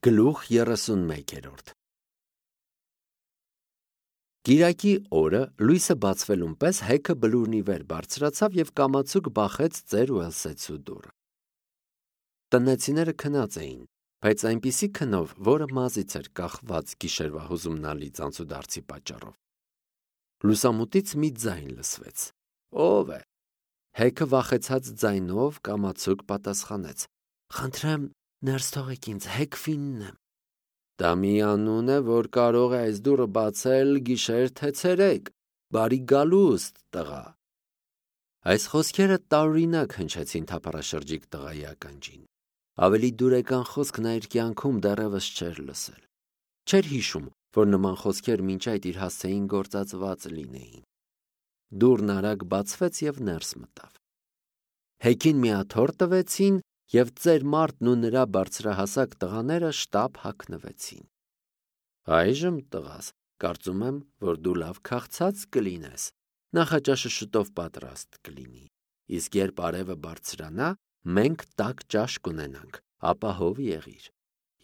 Գլուխ 31 Կիրակի օրը լույսը բացվելուն պես Հեքը բլուրնի վեր բարձրացավ և կամացուկ բախեց ծեր Ուելսեցու դուռը։ Տնեցիները քնած էին, բայց այնպիսի քնով, որը մազից էր կախված գիշերվա հուզումնալի ծանծուդարձի պատճառով։ Լուսամուտից մի ձայն լսվեց. «Ո՞վ է»։ Հեքը վախեցած ձայնով կամացուկ պատասխանեց. «Խնդրեմ, ներս թողեք ինձ, Հեքֆինն եմ»։ Դա մի անուն է, որ կարող է այս դուռը բացել գիշեր թե ցերեկ։ Բարի գալուստ, տղա։ Այս խոսքերը տարօրինակ հնչեցին թափառաշրջիկ տղայի ականջին։ Ավելի դուրեկան խոսք նա իր կյանքում դեռևս չէր լսել։ Չէր հիշում, որ նման խոսքեր մինչ այդ իր հասցեին գործածված լինեին։ Դուռն արագ բացվեց և ներս մտավ։ Հեքին մի աթոռ տվեցին, և ծեր մարդն ու նրա բարձրահասակ տղաները շտապ հագնվեցին։ Այժմ, տղաս, կարծում եմ, որ դու լավ քաղցած կլինես, նախաճաշը շուտով պատրաստ կլինի, իսկ երբ արևը բարձրանա, մենք տաք ճաշ կունենանք, ապահով եղիր։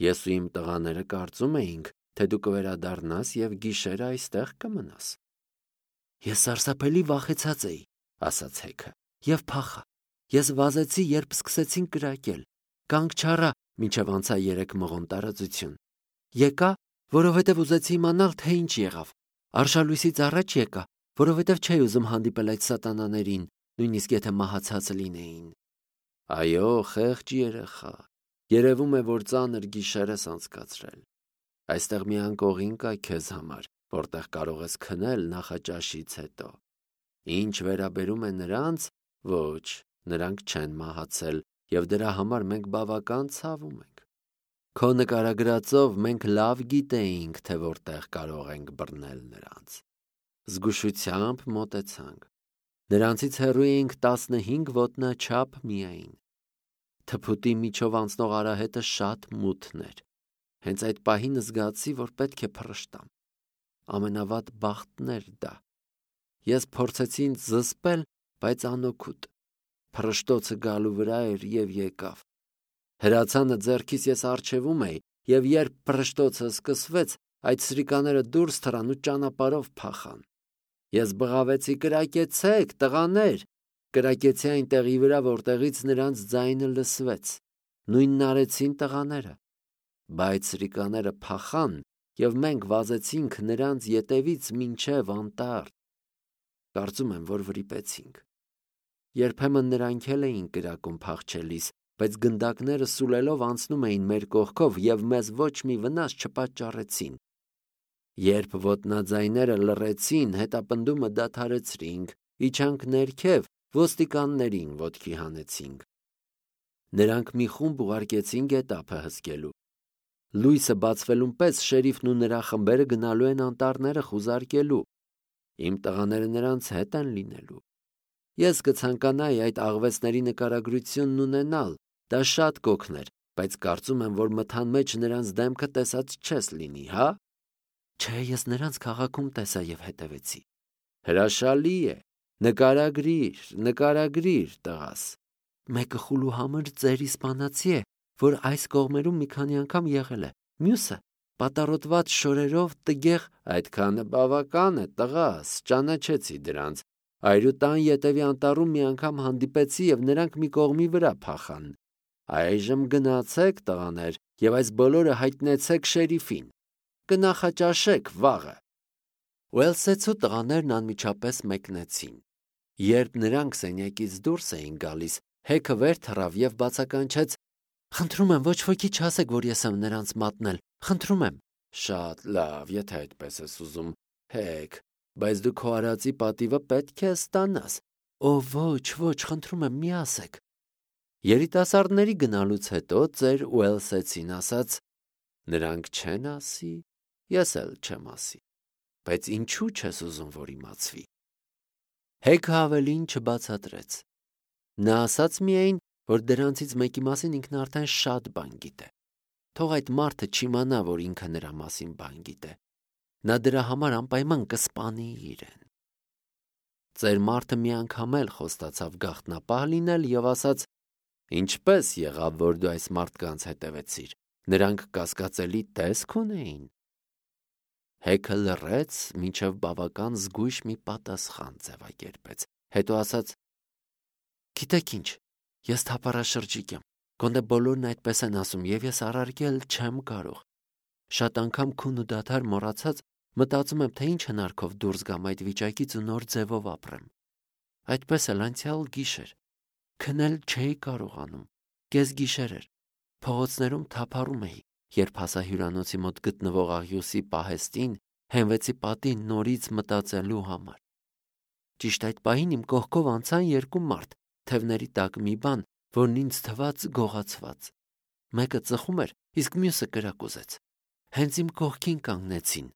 Ես ու իմ տղաները կարծում էինք, թե դու կվերադառնաս և գիշերը այստեղ կմնաս։ Ես սարսափելի վախեցած էի, ասաց Հեքը, և փախա։ Ես վազեցի, երբ սկսեցին կրակել։ Կանգ չառա, մինչև անցա 3 մղոն տարածություն։ Եկա, որովհետև ուզեցի իմանալ, թե ինչ եղավ։ Արշալույսից առաջ եկա, որովհետև չէի ուզում հանդիպել այդ սատանաներին, նույնիսկ եթե մահացած լինեին։ Այո, խեղճ երեխա, երևում է, որ ծանր գիշեր ես անցկացրել։ Այստեղ մի անկողին կա քեզ համար, որտեղ կարող ես քնել նախաճաշից հետո։ Ինչ վերաբերում է նրանց, ոչ, նրանք չեն մահացել, և դրա համար մենք բավական ցավում ենք։ Քո նկարագրածով մենք լավ գիտեինք, թե որտեղ կարող ենք բռնել նրանց։ Զգուշությամբ մոտեցանք։ Նրանցից հեռու էինք 15 ոտնաչափ միայն։ Թփուտի միջով անցնող արահետը շատ մութն էր։ Հենց այդ պահին զգացի, որ պետք է փռշտամ։ Ամենավատ բախտն էր դա։ Ես փորձեցի ինձ զսպել, բայց անօգուտ։ Փռշտոցը գալու վրա էր և եկավ։ Հրացանը ձեռքիս ես առջևում էի, և երբ փռշտոցը սկսվեց, այդ սրիկաները դուրս թռան ու ճանապարհով փախան։ Ես բղավեցի. «Կրակեցեք, տղաներ»։ Կրակեցի այն տեղի վրա, որտեղից նրանց ձայնը լսվեց։ Նույնն արեցին տղաները։ Բայց սրիկաները փախան, և մենք վազեցինք նրանց ետևից մինչև անտառ։ Կարծում եմ, որ վրիպեցինք։ Երբեմն նրանք էլ էին կրակում փախչելիս, բայց գնդակները սուլելով անցնում էին մեր կողքով և մեզ ոչ մի վնաս չպատճառեցին։ Երբ ոտնաձայները լռեցին, հետապնդումը դադարեցրինք, իջանք ներքև, ոստիկաններին ոտքի հանեցինք։ Նրանք մի խումբ ուղարկեցին գետափը հսկելու։ Լույսը բացվելուն պես շերիֆն ու նրա խմբերը գնալու են անտառները խուզարկելու։ Իմ տղաները նրանց հետ են լինելու։ Ես կցանկանայի այդ աղվեսների նկարագրությունն ունենալ, դա շատ կօգներ, բայց կարծում եմ, որ մթան մեջ նրանց դեմքը տեսած չես լինի, հա՞։ Չէ, ես նրանց քաղաքում տեսա և հետևեցի։ Հրաշալի է, նկարագրիր, տղաս։ Մեկը խուլուհամր ծեր իսպանացի է, որ այս կողմերում մի քանի անգամ եղել է, մյուսը պատառոտված շորերով տգեղ։ Այդքանը բավական է, տղաս, ճանաչեցի դրանց։ Այրու տան ետևի անտառում մի անգամ հանդիպեցի և նրանք մի կողմի վրա փախան։ Այժմ գնացեք, տղաներ, և այս բոլորը հայտնեցեք շերիֆին։ Կնախաճաշեք վաղը։ Ուելսեցու տղաներն անմիջապես մեկնեցին։ Երբ նրանք սենյակից դուրս էին գալիս, Հեքը վեր թռավ և բացականչեց. «Խնդրում եմ, ոչ ոքի չասեք, որ ես եմ նրանց մատնել, խնդրում եմ»։ Շատ լավ, եթե այդպես ես ուզում, Հեք, բայց դու քո արածի պատիվը պետք է ստանաս։ Ոչ, խնդրում եմ, մի ասեք։ Երիտասարդների գնալուց հետո ծեր Ուելսեցին ասաց. «Նրանք չեն ասի, ես էլ չեմ ասի, բայց ինչու չես ուզում, որ իմացվի»։ Հեքը ավելին չբացատրեց։ Նա ասաց միայն, որ դրանցից մեկի մասին ինքն արդեն շատ բան գիտե։ Թող այդ մարդը չիմանա, որ ինքը նրա մասին բան գիտե։ Նա դրա համար անպայման կսպանի իրեն։ Ծեր մարդը մի անգամ էլ խոստացավ գաղտնապահ լինել և ասաց. «Ինչպե՞ս եղավ, որ դու այս մարդկանց հետևեցիր։ Նրանք կասկածելի տեսք ունեին։ Հեքը լռեց, մինչև բավական զգույշ մի պատասխան ձևակերպեց, հետո ասաց. «Գիտեք ինչ, ես թափառաշրջիկ եմ, գոնե բոլորն այդպես են ասում, և ես առարկել չեմ կարող։ Շատ անգամ քուն ու դադար մոռացած մտածում եմ, թե ինչ հնարքով դուրս գամ այդ վիճակից ու նոր ձևով ապրեմ։ Այդպես էլ անցյալ գիշեր քնել չէի կարողանում, կեսգիշեր էր, փողոցներում թափառում էի, երբ հասա հյուրանոցի մոտ գտնվող աղյուսի պահեստին, հենվեցի պատին նորից մտածելու համար։ Ճիշտ այդ պահին իմ կողքով անցան երկու մարդ, թևների տակ մի բան, որն ինձ թվաց գողացված։ Մեկը ծխում էր, իսկ մյուսը կրակուզեց։ Հենց իմ կողքին կանգնեցին։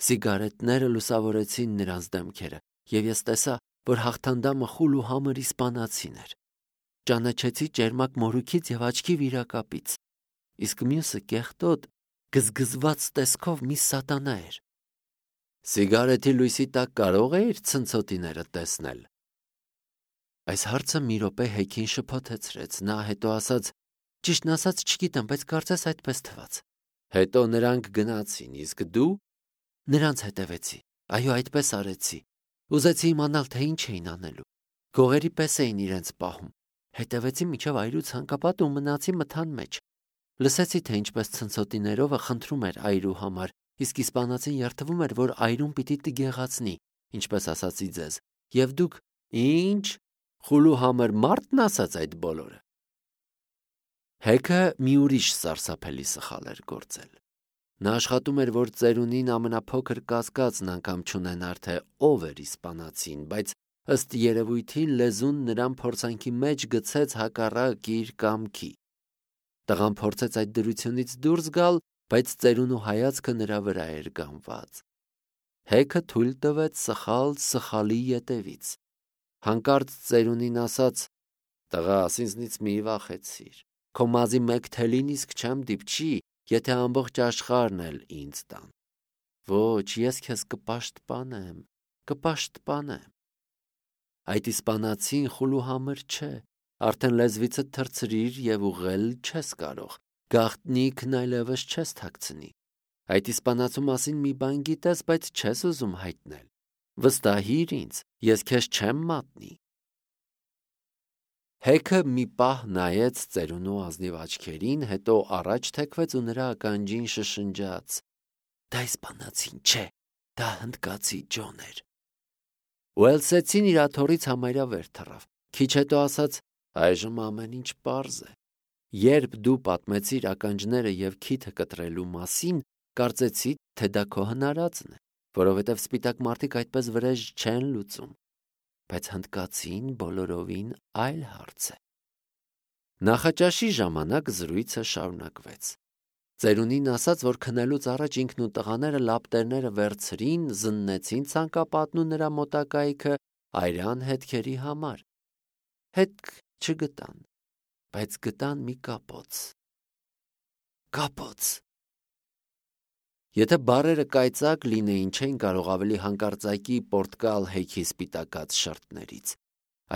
Սիգարետները լուսավորեցին նրանց դեմքերը, և ես տեսա, որ հաղթանդամը խուլ ու համր իսպանացին էր։ Ճանաչեցի ճերմակ մորուքից և աչքի վիրակապից, իսկ մյուսը կեղտոտ, գզգզված տեսքով մի սատանա էր։ Սիգարետի լույսի տակ կարող էիր ցնցոտիները տեսնել։ Այս հարցը մի րոպե Հեքին շփոթեցրեց, նա հետո ասաց. «Ճիշտն ասած չգիտեմ, բայց կարծես այդպես թվաց»։ Հետո նրանք գնացին, իսկ դու։ Նրանց հետևեցի, այո, այդպես արեցի։ Ուզեցի իմանալ, թե ինչ էին անելու։ Գողերի պես էին իրենց պահում։ Հետևեցի մինչև այրու ցանկապատը ու մնացի մթան մեջ։ Լսեցի, թե ինչպես ցնցոտիներովը խնդրում էր այրու համար, իսկ իսպանացին երդվում էր, որ այրուն պիտի տգեղացնի, ինչպես ասացի ձեզ, և դուք ինչ, խուլ ու համր մարդն ասաց այդ բոլորը։ Հեքը մի ուրիշ սարսափելի սխալ էր գործել։ Նա աշխատում էր, որ ծերունին ամենափոքր կասկածն անգամ չունենար, թե ով էր իսպանացին, բայց ըստ երևույթի լեզուն նրան փորձանքի մեջ գցեց հակառակ իր կամքի։ Տղան փորձեց այդ դրությունից դուրս գալ, բայց ծերունու հայացքը նրա վրա էր գանված։ Հեքը թույլ տվեց սխալ սխալի ետևից։ Հանկարծ ծերունին ասաց. «Տղաս, ինձնից մի վախեցիր։ Քո մազի մեկ թելին իսկ չեմ դիպչի, եթե ամբողջ աշխարհն էլ ինձ տան։ Ոչ, ես քեզ կպաշտպանեմ, կպաշտպանեմ։ Այդ իսպանացին խուլ ու համր չէ, արդեն լեզվիցդ թռցրիր և ուղղել չես կարող, գաղտնիքն այլևս չես թաքցնի։ Այդ իսպանացու մասին մի բան գիտես, բայց չես ուզում հայտնել։ Վստահիր ինձ, ես քեզ չեմ մատնի»։ Հեքը մի պահ նայեց ծերունու ազնիվ աչքերին, հետո առաջ թեքվեց ու նրա ականջին շշնջաց. «Դա իսպանացին չէ, դա հնդկացի Ջոն էր»։ Ուելսեցին իր աթոռից համարյա վեր թռավ, քիչ հետո ասաց. «Այժմ ամեն ինչ պարզ է։ Երբ դու պատմեցիր ականջները և քիթը կտրելու մասին, կարծեցի, թե դա քո հնարածն է, որովհետև սպիտակ մարդիկ այդպես վրեժ չեն լուծում։ Բայց հնդկացին բոլորովին այլ հարց է»։ Նախաճաշի ժամանակ զրույցը շարունակվեց։ Ծերունին ասաց, որ քնելուց առաջ ինքն ու տղաները լապտերները վերցրին, զննեցին ցանկապատն ու նրա մոտակայքը այրան հետքերի համար։ Հետք չգտան, բայց գտան մի կապոց։ Կապոց։ Եթե բառերը կայծակ լինեին, չէին կարող ավելի հանկարծակի պորտկալ Հեքի սպիտակած շրթներից։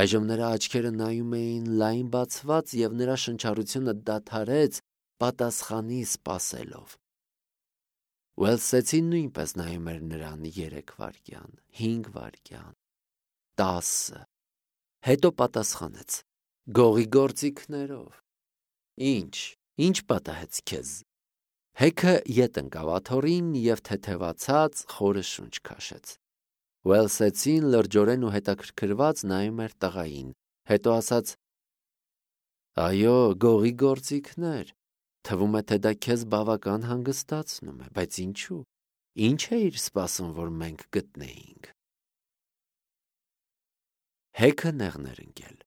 Այժմ նրա աչքերը նայում էին լայն բացված, և նրա շնչառությունը դադարեց, պատասխանի սպասելով։ Ուելսեցին նույնպես նայում էր նրան 3 վայրկյան, 5 վայրկյան, 10, հետո պատասխանեց. «Գողի գործիքներով»։ Ինչ պատահեց քեզ։ Հեքը ետ ընկավ աթոռին և թեթևացած խորը շունչ քաշեց։ Ուելսեցին լրջորեն ու հետաքրքրված նայում էր տղային, հետո ասաց. «Այո, գողի գործիքներ։ Թվում է, թե դա քեզ բավական հանգստացնում է, բայց ինչու։ Ինչ էիր սպասում, որ մենք գտնեինք»։ Հեքը նեղն էր ընկել։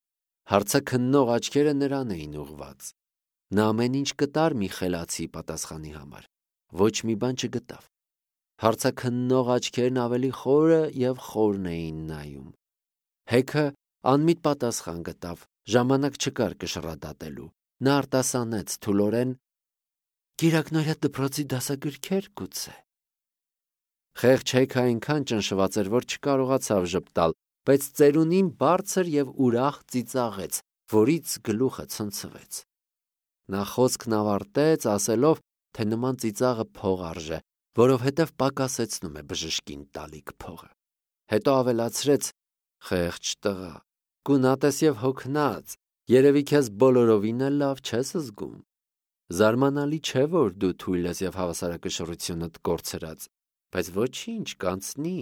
Հարցաքննող աչքերը նրան էին ուղղված։ Նա ամեն ինչ կտար մի խելացի պատասխանի համար։ Ոչ մի բան չգտավ։ Հարցաքննող աչքերն ավելի խորը և խորն էին նայում։ Հեքը անմիտ պատասխան գտավ, ժամանակ չկար կշռադատելու։ Նա արտասանեց թուլորեն. «Կիրակնօրյա դպրոցի դասագրքեր գուցե»։ Խեղճ Հեքը այնքան ճնշված էր, որ չկարողացավ ժպտալ, բայց ծերունին բարձր և ուրախ ծիծաղեց, որից գլուխը ցնցվեց։ Նա խոսքն ավարտեց, ասելով, թե նման ծիծաղը փող արժե, որովհետև պակասեցնում է բժշկին տալիք փողը։ Հետո ավելացրեց. «Խեղճ տղա, գունատես և հոգնած, երևի քեզ բոլորովին էլ լավ չես զգում։ Զարմանալի չէ, որ դու թույլ ես և հավասարակշռությունդ կորցրած, բայց ոչինչ, կանցնի,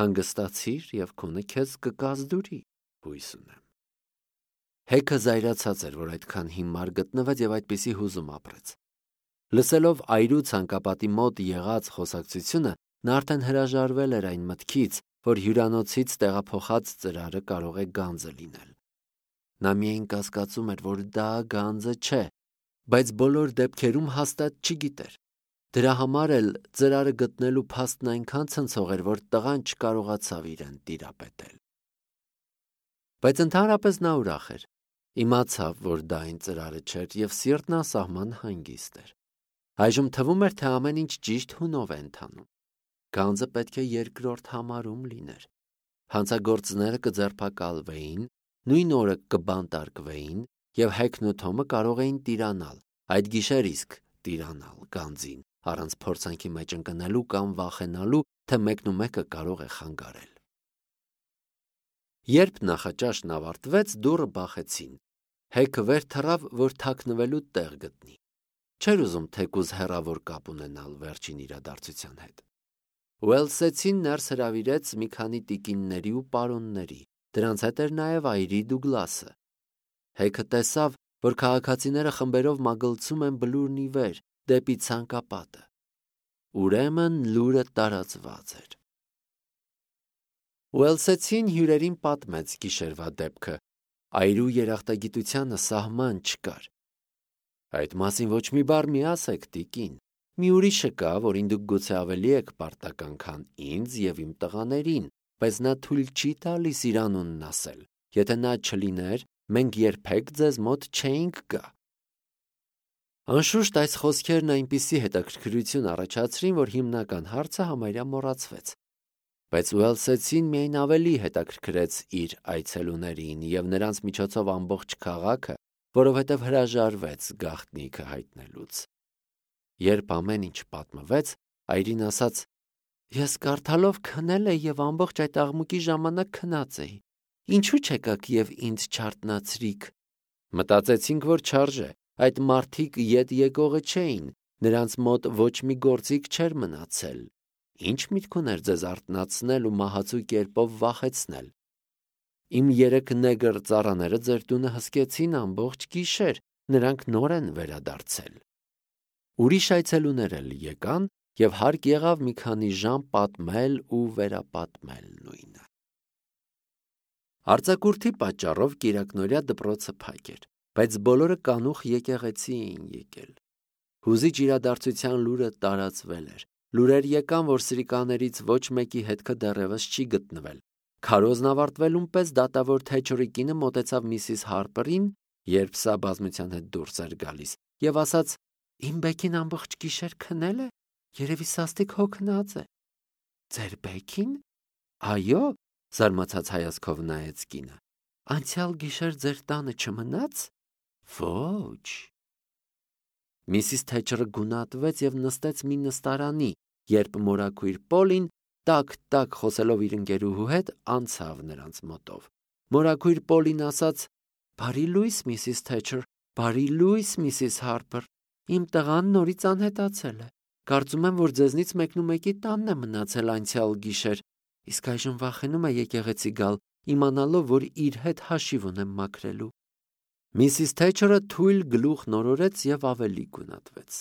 հանգստացիր և քունը քեզ կկազդուրի, հույս ունեմ»։ Հեքը զայրացած էր, որ այդքան հիմար գտնվեց և այդպիսի հուզում ապրեց։ Լսելով այրու ցանկապատի մոտ եղած խոսակցությունը, նա արդեն հրաժարվել էր այն մտքից, որ հյուրանոցից տեղափոխած ծրարը կարող է գանձը լինել։ Նա միայն կասկածում էր, որ դա գանձը չէ, բայց բոլոր դեպքերում հաստատ չգիտեր։ Դրա համար էլ ծրարը գտնելու փաստն այնքան ցնցող էր, որ տղան չկարողացավ իրեն տիրապետել։ Բայց ընդհանրապես նա ուրախ էր։ Իմացավ, որ դա այն ծրարը չէր և սիրտն անսահման հանգիստ էր։ Այժմ թվում էր, թե ամեն ինչ ճիշտ հունով է ընթանում։ Գանձը պետք է երկրորդ համարում լիներ։ Հանցագործները կձերբակալվեին, նույն օրը կբանտարկվեին և Հեքն ու Թոմը կարող էին տիրանալ, այդ գիշեր իսկ տիրանալ գանձին, առանց փորձանքի մեջ ընկնելու կամ վախենալու, թե մեկնումեկը կարող է խանգարել։ Երբ նախաճաշն ավարտվեց, դուռը բախեցին։ Հեքը վեր թռավ, որ թաքնվելու տեղ գտնի։ Չէր ուզում թեկուզ հեռավոր կապ ունենալ վերջին իրադարձության հետ։ Ուելսեցին ներս հրավիրեց մի քանի տիկինների ու պարոնների, դրանց հետ էր նաև այրի Դուգլասը։ Հեքը տեսավ, որ քաղաքացիները խմբերով մագլցում են բլուրն ի վեր, դեպի ցանկապատը։ Ուրեմն լուրը տարածված էր։ Ուելսեցին հյուրերին պատմեց գիշերվա դեպքը։ Այրու երախտագիտությանը սահման չկար։ Այդ մասին ոչ մի բառ մի ասեք, տիկին։ Մի ուրիշը կա, որին դուք գուցե ավելի եք պարտական, քան ինձ և իմ տղաներին, բայց նա թույլ չի տալիս իր անունն ասել։ Եթե նա չլիներ, մենք երբեք ձեզ մոտ չէինք գա։ Անշուշտ այս խոսքերն այնպիսի հետաքրքրություն առաջացրին, որ հիմնական հարցը համարյա մոռացվեց։ Բայց Ուելսեցին միայն ավելի հետաքրքրեց իր այցելուներին և նրանց միջոցով ամբողջ քաղաքը, որովհետև հրաժարվեց գաղտնիքը հայտնելուց։ Երբ ամեն ինչ պատմվեց, այրին ասաց. «Ես կարդալով քնել էի և ամբողջ այդ աղմուկի ժամանակ քնած էի։ Ինչու չեկաք և ինձ չարթնացրիք»։ Մտածեցինք, որ չարժե, այդ մարդիկ ետ եկողը չէին, նրանց մոտ ոչ մի գործիք չէր մնացել։ Ինչ միտք ուներ ձեզ արթնացնել ու մահացու կերպով վախեցնել։ Իմ 3 նեգր ծառաները ձեր տունը հսկեցին ամբողջ գիշեր, նրանք նոր են վերադարձել։ Ուրիշ այցելուներ էլ եկան և հարկ եղավ մի քանի ժամ պատմել ու վերապատմել նույնը։ Արձակուրդի պատճառով կիրակնօրյա դպրոցը փակ էր, բայց բոլորը կանուխ եկեղեցի էին եկել։ Հուզիչ իրադարձության լուրը տարածվել էր։ Լուրեր եկան, որ սրիկաներից ոչ մեկի հետքը դեռևս չի գտնվել։ Քարոզն ավարտվելուն պես դատավոր Թեչերի կինը մոտեցավ միսիս Հարպերին, երբ սա բազմության հետ դուրս էր գալիս, և ասաց. «Իմ Բեքին ամբողջ գիշեր քնել է, երևի սաստիկ հոգնած է»։ «Ձեր Բեքին»։ «Այո», զարմացած հայացքով նայեց կինը։ «Անցյալ գիշեր ձեր տանը չմնաց»։ «Ոչ»։ Միսիս Թեչերը գունատվեց և նստեց մի նստարանի, երբ մորաքույր Պոլին տակ-տակ խոսելով իր ընկերուհու հետ անցավ նրանց մոտով։ Մորաքույր Պոլին ասաց. «Բարի լույս, Միսիս Թեչեր, բարի լույս, Միսիս Հարպեր։ Իմ տղան նորից անհետացել է։ Կարծում եմ, որ ձեզնից մեկնումեկի տանն է մնացել անցյալ գիշեր, իսկ այժմ վախենում է եկեղեցի գալ, իմանալով, որ իր հետ հաշիվ ունեմ մաքրելու»։ Միսիս Թեչերը թույլ գլուխ նորորեց և ավելի գունատվեց։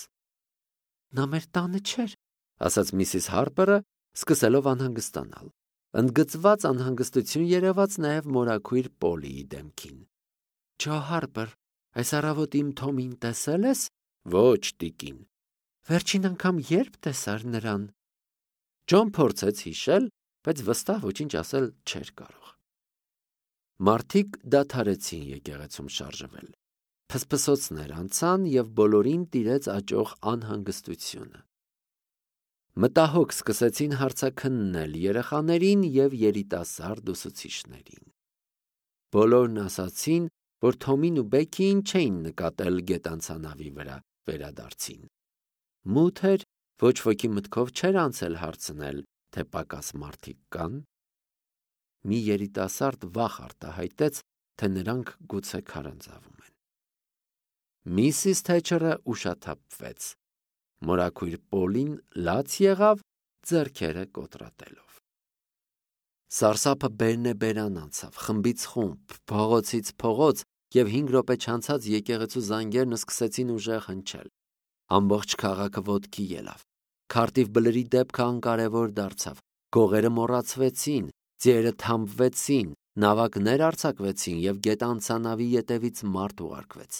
«Նա մեր տանը չէր», ասաց Միսիս Հարպերը, սկսելով անհանգստանալ։ Ընդգծված անհանգստություն երևաց նաև մորաքույր Պոլիի դեմքին։ «Ջո Հարպեր, այս առավոտ իմ Թոմին տեսել ես»։ «Ոչ, տիկին»։ «Վերջին անգամ ե՞րբ տեսար նրան»։ Ջոն փորձեց հիշել, բայց վստահ ոչինչ ասել չէր կարող։ Մարդիկ դադարեցին եկեղեցում շարժվել։ Փսփսոցներ անցան և բոլորին տիրեց աճող անհանգստությունը։ Մտահոգ սկսեցին հարցաքննել երեխաներին և երիտասարդ ուսուցիչներին։ Բոլորն ասացին, որ Թոմին ու Բեքիին չէին նկատել գետանցանավի վրա վերադարձին։ Մութ էր, ոչ ոքի մտքով չէր անցել հարցնել, թե պակաս մարդիկ կան։ Մի երիտասարդ վախ արտահայտեց, թե նրանք գուցե քարանձավում են։ Միսիս Թեչերը ուշաթափվեց։ Մորաքույր Պոլին լաց եղավ, ձեռքերը կոտրատելով։ Սարսափը բերնեբերան անցավ, խմբից խումբ, փողոցից փողոց, և 5 րոպե չանցած եկեղեցու զանգերն սկսեցին ուժեղ հնչել։ Ամբողջ քաղաքը ոտքի ելավ։ Քարտիվ բլրի դեպքը անկարևոր դարձավ։ Գողերը մոռացվեցին, ձիերը թամբվեցին, նավակներ արձակվեցին և գետանցանավի ետևից մարդ ուղարկվեց։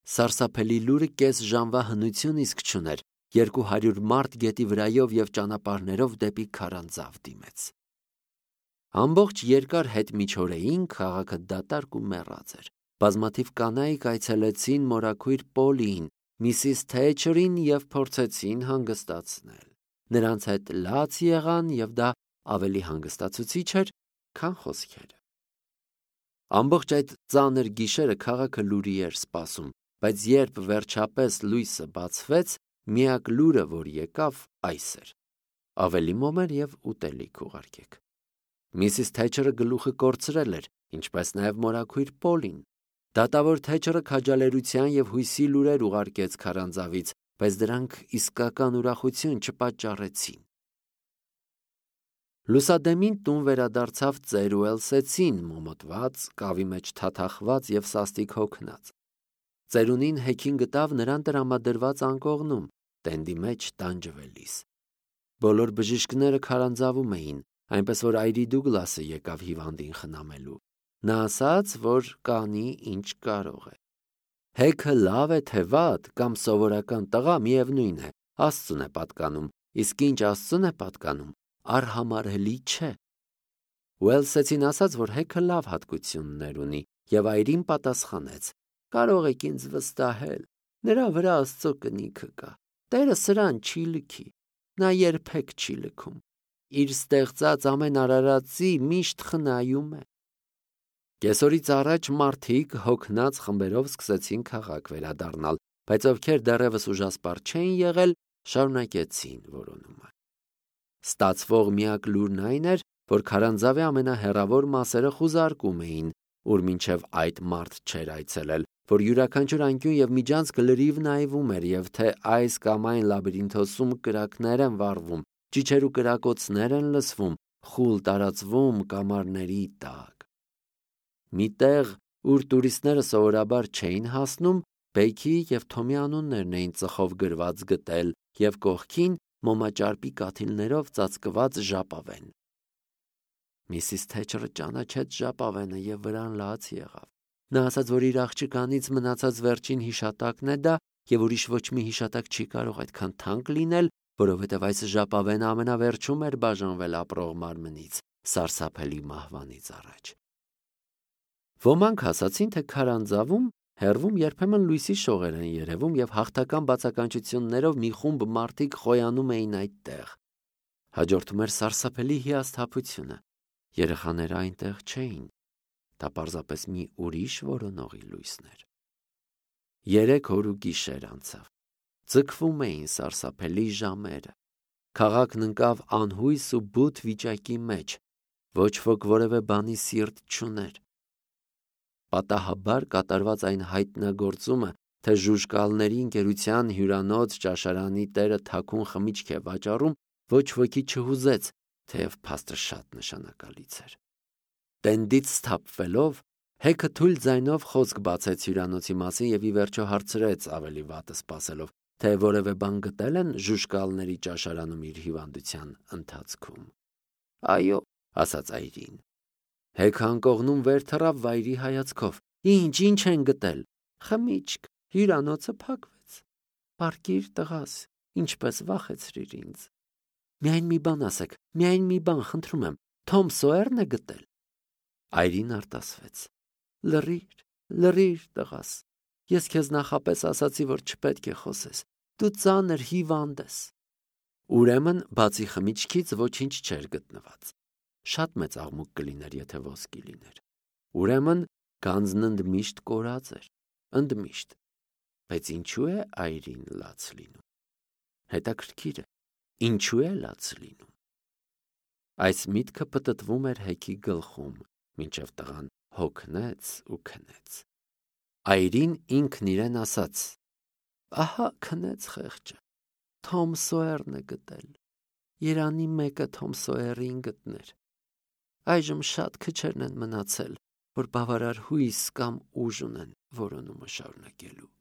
Սարսափելի լուրը կես ժամվա հնություն իսկ չուներ, 200 մարդ գետի վրայով և ճանապարհներով դեպի քարանձավ դիմեց։ Ամբողջ երկար հետմիջօրեին քաղաքը դատարկ ու մեռած էր։ Բազմաթիվ կանայք այցելեցին մորաքույր Պոլիին, Միսիս Թեչերին և փորձեցին հանգստացնել։ Նրանց հետ լաց եղան, և դա ավելի հանգստացուցիչ էր, քան խոսքերը։ Ամբողջ այդ ծանր գիշերը քաղաքը լուրի էր սպասում, բայց երբ վերջապես լույսը բացվեց, միակ լուրը, որ եկավ, այս էր. ավելի մոմեր և ուտելիք ուղարկեք։ Միսիս Թեչերը գլուխը կորցրել էր, ինչպես նաև մորաքույր Պոլին։ Դատավոր Թեչերը քաջալերության և հույսի լուրեր ուղարկեց քարանձավից, բայց դրանք իսկական ուրախություն չպատճառեցին։ Լուսադեմին տուն վերադարձավ ծեր ու Էլսեցին, մոմոտված, կավի մեջ թաթախված և սաստիկ հոգնած։ Ծերունին հեքիմ գտավ նրան տրամադրված անկողնում, տենդի մեջ տանջվելիս։ Բոլոր բժիշկները քարանձավում էին, այնպես որ այրի Դուգլասը եկավ հիվանդին խնամելու։ Նա ասաց, որ կանի ինչ կարող է։ Հեքը լավ է թե վատ կամ սովորական տղա, միևնույն է, Աստծուն է պատկանում, իսկ ինչ Աստծուն է պատկանում, արհամարհելի չէ։ Ուելսեցին ասաց, որ Հեքը լավ հատկություններ ունի, և այրին պատասխանեց. կարող եք ինձ վստահել, նրա վրա Աստծո կնիքը կա, Տերը սրան չի լքի, նա երբեք չի լքում, իր ստեղծած ամեն արարածի միշտ խնայում է։ Կեսօրից առաջ մարդիկ հոգնած խմբերով սկսեցին քաղաք վերադառնալ, բայց ովքեր դեռևս ուժասպառ չէին եղել, շարունակեցին որոնումը։ Ստացվող միակ լուրն այն էր, որ քարանձավի ամենահեռավոր մասերը խուզարկում էին, ուր մինչև այդ մարդ չէր այցելել, որ յուրաքանչյուր անկյուն և միջանցք լրիվ նայվում էր, և թե այս կամ այն լաբիրինթոսում կրակներ են վառվում, ճիչեր ու կրակոցներ են լսվում, խուլ տարածվում կամարների տակ։ Մի տեղ, ուր տուրիստները սովորաբար չէին հասնում, Բեքի և Թոմի անուններն էին ծխով գրված գտել և կողքին մոմաճարպի կաթիլներով ծածկված ժապավեն։ Միսիս Թեչերը ճանաչեց ժապավենը և վրան լաց եղավ։ Նա ասաց, որ իր աղջկանից մնացած վերջին հիշատակն է դա, և ուրիշ ոչ մի հիշատակ չի կարող այդքան թանկ լինել, որովհետև այս ժապավենը ամենավերջում էր բաժանվել ապրող մարմնից, սարսափելի մահվանից առաջ։ Ոմանք ասացին, թե քարանձավում հեռվում երբեմն լույսի շողեր են երևում, և հաղթական բացականչություններով մի խումբ մարդիկ խոյանում էին այդտեղ։ Հաջորդում էր սարսափելի հիասթափությունը։ Երեխաները այնտեղ չէին։ Դա պարզապես մի ուրիշ որոնողի լույսն էր։ 3 օր ու գիշեր անցավ։ Ձգվում էին սարսափելի ժամերը։ Քաղաքն ընկավ անհույս ու բութ վիճակի մեջ։ Ոչ ոք որևէ բանի սիրտ չուներ։ Պատահաբար կատարված այն հայտնագործումը, թե ժուժկալների ընկերության հյուրանոց ճաշարանի տերը թաքուն խմիչք է վաճառում, ոչ ոքի չհուզեց, թեև փաստը շատ նշանակալից էր։ Տենդից սթափվելով, Հեքը թույլ ձայնով խոսք բացեց հյուրանոցի մասին և ի վերջո հարցրեց ավելի վատը սպասելով, թե որևէ բան գտել են ժուժկալների ճաշարանում իր հիվանդության ընթացքում։ Այո, ասաց այրին։ Հեքը անկողնում վեր թռավ վայրի հայացքով։ Ինչ են գտել։ Խմիչք, հյուրանոցը փակվեց։ Պառկիր տղաս, ինչպես վախեցրիր ինձ։ Միայն մի բան ասեք, միայն մի բան, խնդրում եմ, Թոմ Սոերն է գտել։ Այրին արտասվեց։ Լռիր, տղաս։ Ես քեզ նախապես ասացի, որ չպետք է խոսես։ Դու ծանր հիվանդ ես։ Ուրեմն, բացի խմիչքից ոչինչ չէր գտնված։ Շատ մեծ աղմուկ կլիներ, եթե ոսկի լիներ։ Ուրեմն, Գանձն ընդմիշտ կորած էր, ընդմիշտ, բայց ինչու է այրին լաց լինում։ Հետաքրքիր է, ինչու է լաց լինում։ Այս միտքը պտտվում էր Հեքի գլխում, մինչև տղան հոգնեց ու քնեց։ Այրին ինքն իրեն ասաց. «Ահա քնեց խեղճը, Թոմ Սոյերն է գտել, երանի մեկը Թոմ Սոյերին գտներ։ Այժմ շատ քչերն են մնացել, որ բավարար հույս կամ ուժ ունեն որոնումը շարունակելու»։